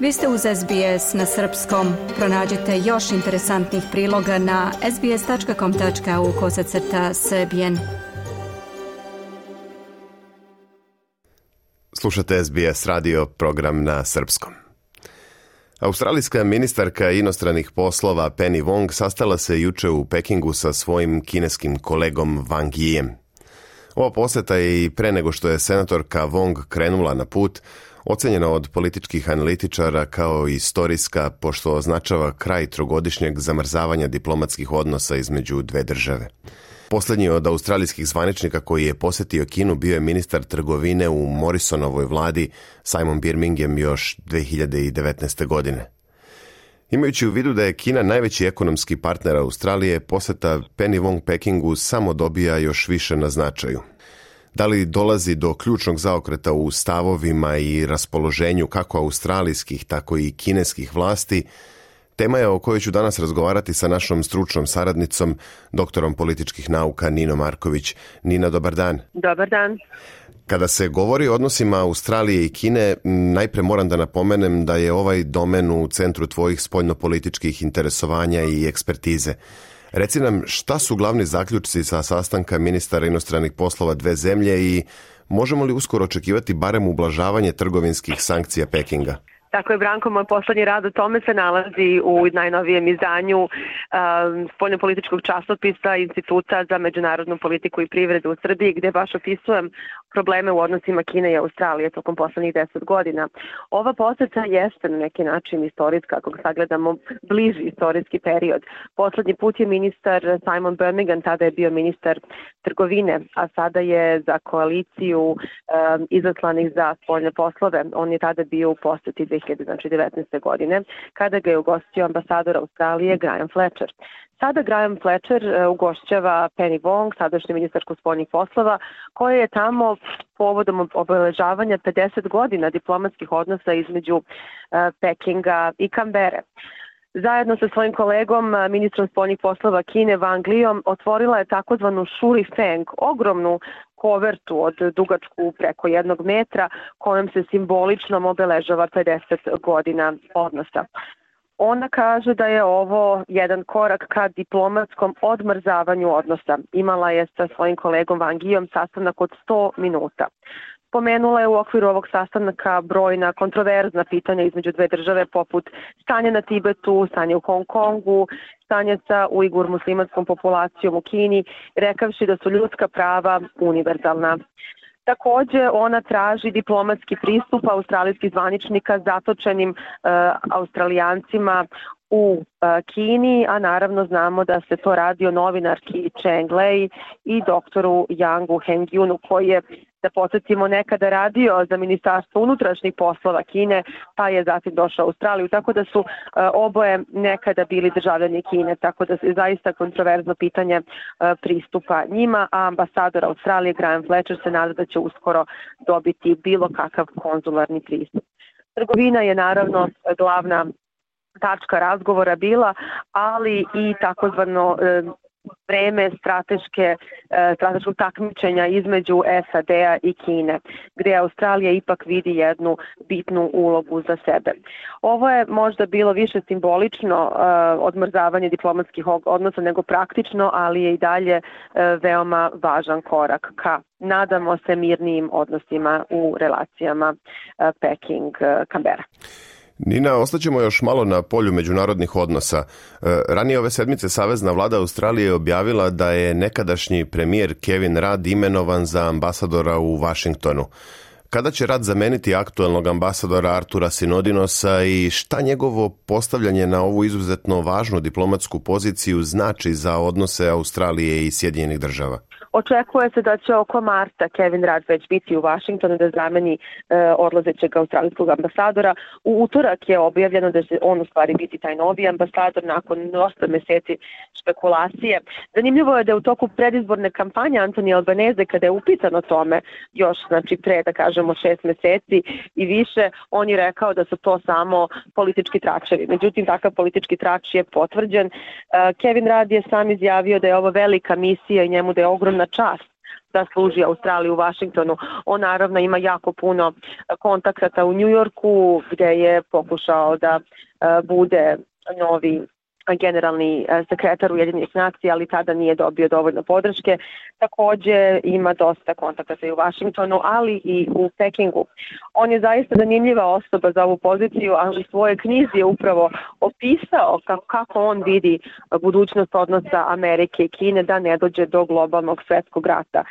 Vi ste uz SBS na srpskom. Pronađite još interesantnih priloga na sbs.com.au/srbijen. Slušate SBS radio program na srpskom. Australijska ministarka inostranih poslova Penny Wong sastala se juče u Pekingu sa svojim kineskim kolegom Wang Yijem. Ova poseta je i pre nego što je senatorka Wong krenula na put ocenjena od političkih analitičara kao istorijska, pošto označava kraj trogodišnjeg zamrzavanja diplomatskih odnosa između dve države. Poslednji od australijskih zvaničnika koji je posetio Kinu bio je ministar trgovine u Morrisonovoj vladi Simon Birmingham još 2019. godine. Imajući u vidu da je Kina najveći ekonomski partner Australije, poseta Penny Wong Pekingu samo dobija još više na značaju. Da li dolazi do ključnog zaokreta u stavovima i raspoloženju kako australijskih, tako i kineskih vlasti, tema je o kojoj ću danas razgovarati sa našom stručnom saradnicom, doktorom političkih nauka Ninom Marković. Nina, dobar dan. Dobar dan. Kada se govori o odnosima Australije i Kine, najpre moram da napomenem da je ovaj domen u centru tvojih spoljnopolitičkih interesovanja i ekspertize. Reci nam, šta su glavni zaključci sa sastanka ministara inostranih poslova dve zemlje i možemo li uskoro očekivati barem ublažavanje trgovinskih sankcija Pekinga? Tako je, Branko, moj poslednji rad o tome se nalazi u najnovijem izdanju spoljnopolitičkog časopisa Instituta za međunarodnu politiku i privredu u Srbiji, gde baš opisujem probleme u odnosima Kine i Australije tokom poslednjih 10 godina. Ova poseta jeste na neki način istorijska, ako sagledamo bliži istorijski period. Poslednji put je ministar Simon Birmingham, tada je bio ministar trgovine, a sada je za koaliciju izaslanih za spoljne poslove. On je tada bio u poseti 2019. godine, kada ga je ugostio ambasador Australije Graham Fletcher. Sada Graham Fletcher ugošćava Penny Wong, sadašnju ministarku spoljnih poslova, koja je tamo povodom obeležavanja 50 godina diplomatskih odnosa između Pekinga i Kambere. Zajedno sa svojim kolegom, ministrom spoljnih poslova Kine Wang Liyom, otvorila je takozvanu Shuri Feng, ogromnu kovertu od dugačku preko 1 metra, kojom se simbolično obeležava 50 godina odnosa. Ona kaže da je ovo jedan korak ka diplomatskom odmrzavanju odnosa. Imala je sa svojim kolegom Wang Yijom sastanak od 100 minuta. Pomenula je u okviru ovog sastanaka brojna kontroverzna pitanja između dve države, poput stanja na Tibetu, stanja u Hong Kongu, stanja sa Ujgur muslimanskom populacijom u Kini, rekavši da su ljudska prava univerzalna. Takođe, ona traži diplomatski pristup australijskih zvaničnika zatočenim Australijancima u Kini, a naravno znamo da se to radi o novinarki Cheng Lei i doktoru Yangu Hengyunu, koji je, da podsjetimo, nekada radio za Ministarstvo unutrašnjih poslova Kine, pa je zatim došao u Australiju, tako da su oboje nekada bili državljani Kine, tako da je zaista kontroverzno pitanje pristupa njima, a ambasador Australije Graham Fletcher se nada da će uskoro dobiti bilo kakav konzularni pristup. Trgovina je naravno glavna tačka razgovora bila, ali i takozvano vreme strateškog takmičenja između SAD-a i Kine, gde Australija ipak vidi jednu bitnu ulogu za sebe. Ovo je možda bilo više simbolično odmrzavanje diplomatskih odnosa nego praktično, ali je i dalje veoma važan korak ka, nadamo se, mirnijim odnosima u relacijama Peking-Kambera. Nina, ostaćemo još malo na polju međunarodnih odnosa. Ranije ove sedmice Savezna vlada Australije objavila da je nekadašnji premijer Kevin Rudd imenovan za ambasadora u Vašingtonu. Kada će Rudd zameniti aktuelnog ambasadora Artura Sinodinosa i šta njegovo postavljanje na ovu izuzetno važnu diplomatsku poziciju znači za odnose Australije i Sjedinjenih država? Očekuje se da će oko marta Kevin Rudd već biti u Vašingtonu da zameni odlazećeg australijskog ambasadora. U utorak je objavljeno da će on u stvari biti taj novi ambasador nakon dosta meseci špekulacije. Zanimljivo je da je u toku predizborne kampanje Anthony Albanese, kada je upitan o tome još, znači pre da kažemo 6 meseci i više, on je rekao da su to samo politički tračevi. Međutim, takav politički trač je potvrđen. Kevin Rudd je sam izjavio da je ovo velika misija i njemu da je ogromna čast da služi Australiji u Vašingtonu. On naravno ima jako puno kontakata u New Yorku gdje je pokušao da bude novi generalni sekretar Ujedinjenih nacija, ali tada nije dobio dovoljno podrške. Također ima dosta kontakata i u Vašingtonu, ali i u Pekingu. On je zaista zanimljiva osoba za ovu poziciju, ali u svojoj knjizi je upravo opisao kako on vidi budućnost odnosa Amerike i Kine da ne dođe do globalnog svjetskog rata.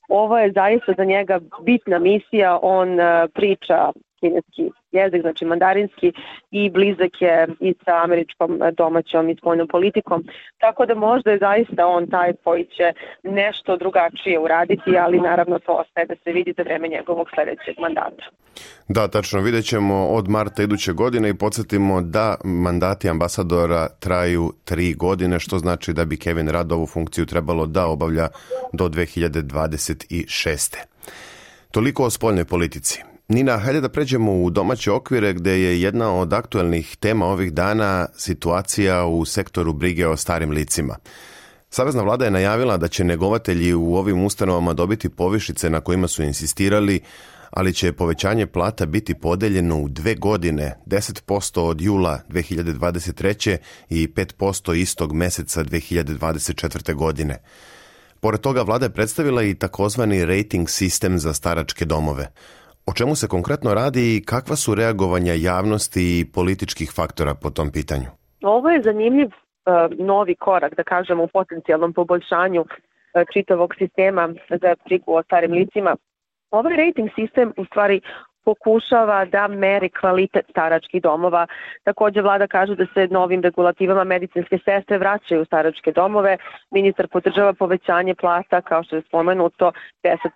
Ovo je zaista za njega bitna misija, on priča kineski jezik, znači mandarinski, i blizak je i sa američkom domaćom i spoljnom politikom, tako da možda je zaista on taj koji će nešto drugačije uraditi, ali naravno to ostaje da se vidi za vreme njegovog sljedećeg mandata. Da, tačno, vidjet ćemo od marta iduće godine i podsjetimo da mandati ambasadora traju 3 godine, što znači da bi Kevin Rudd ovu funkciju trebalo da obavlja do 2026. Toliko o spoljnoj politici. Nina, hajde da pređemo u domaće okvire gdje je jedna od aktualnih tema ovih dana situacija u sektoru brige o starim licima. Savezna vlada je najavila da će njegovatelji u ovim ustanovama dobiti povišice na kojima su insistirali, ali će povećanje plata biti podeljeno u 2 godine, 10% od jula 2023. i 5% istog meseca 2024. godine. Pored toga, vlada je predstavila i takozvani rating sistem za staračke domove. O čemu se konkretno radi i kakva su reagovanja javnosti i političkih faktora po tom pitanju? Ovo je zanimljiv novi korak, da kažemo, u potencijalnom poboljšanju čitavog sistema za brigu o starim licima. Ovaj rating sistem u stvari pokušava da meri kvalitet staračkih domova. Također vlada kaže da se novim regulativama medicinske sestre vraćaju u staračke domove. Ministar podržava povećanje plata, kao što je spomenuto,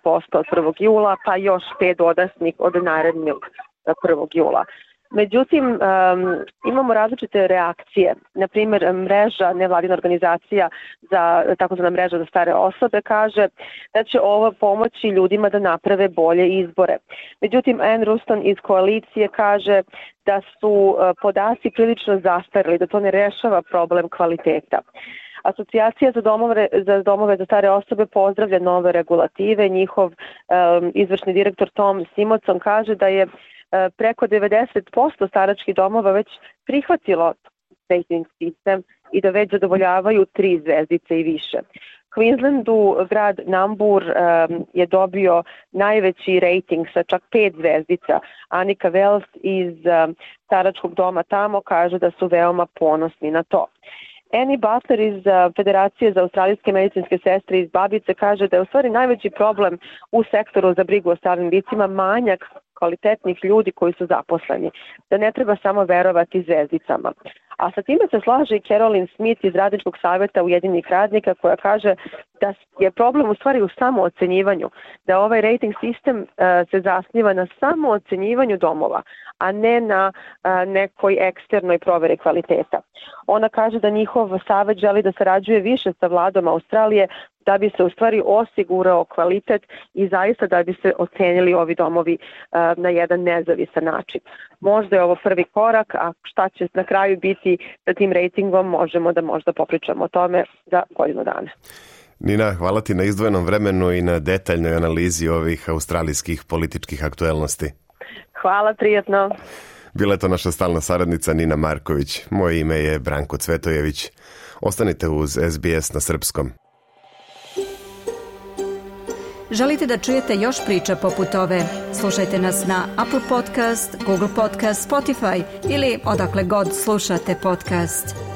10% od 1. jula, pa još 5 dodatnih od narednog 1. jula. Međutim, imamo različite reakcije. Na primjer, mreža nevladina organizacija takozvana mreža za stare osobe kaže da će ovo pomoći ljudima da naprave bolje izbore. Međutim, Anne Ruston iz koalicije kaže da su podaci prilično zastarili, da to ne rešava problem kvaliteta. Asocijacija za domove za stare osobe pozdravlja nove regulative. Njihov izvršni direktor Tom Simonson kaže da je preko 90% staračkih domova već prihvatilo rating sistem i da već zadovoljavaju 3 zvezdice i više. Queenslandu grad Nambour je dobio najveći rating sa čak 5 zvezdica. Anika Wells iz staračkog doma tamo kaže da su veoma ponosni na to. Annie Butler iz Federacije za australijske medicinske sestre iz Babice kaže da je u stvari najveći problem u sektoru za brigu o starim licima manjak kvalitetnih ljudi koji su zaposleni, da ne treba samo verovati zvezdicama. A sa time se slaže i Carolyn Smith iz Radničkog savjeta Ujedinjenih radnika koja kaže da je problem u stvari u samoocenjivanju, da ovaj rating sistem se zasniva na samoocenjivanju domova, a ne na nekoj eksternoj proveri kvaliteta. Ona kaže da njihov savjet želi da sarađuje više sa vladom Australije da bi se u stvari osigurao kvalitet i zaista da bi se ocenili ovi domovi na jedan nezavisan način. Možda je ovo prvi korak, a šta će na kraju biti sa tim ratingom možemo da možda popričamo o tome za godinu dana. Nina, hvala ti na izdvojenom vremenu i na detaljnoj analizi ovih australijskih političkih aktuelnosti. Hvala, prijatno. Bila je to naša stalna saradnica Nina Marković. Moje ime je Branko Cvetojević. Ostanite uz SBS na srpskom. Želite da čujete još priča poput ove? Slušajte nas na Apple Podcast, Google Podcast, Spotify ili odakle god slušate podcast.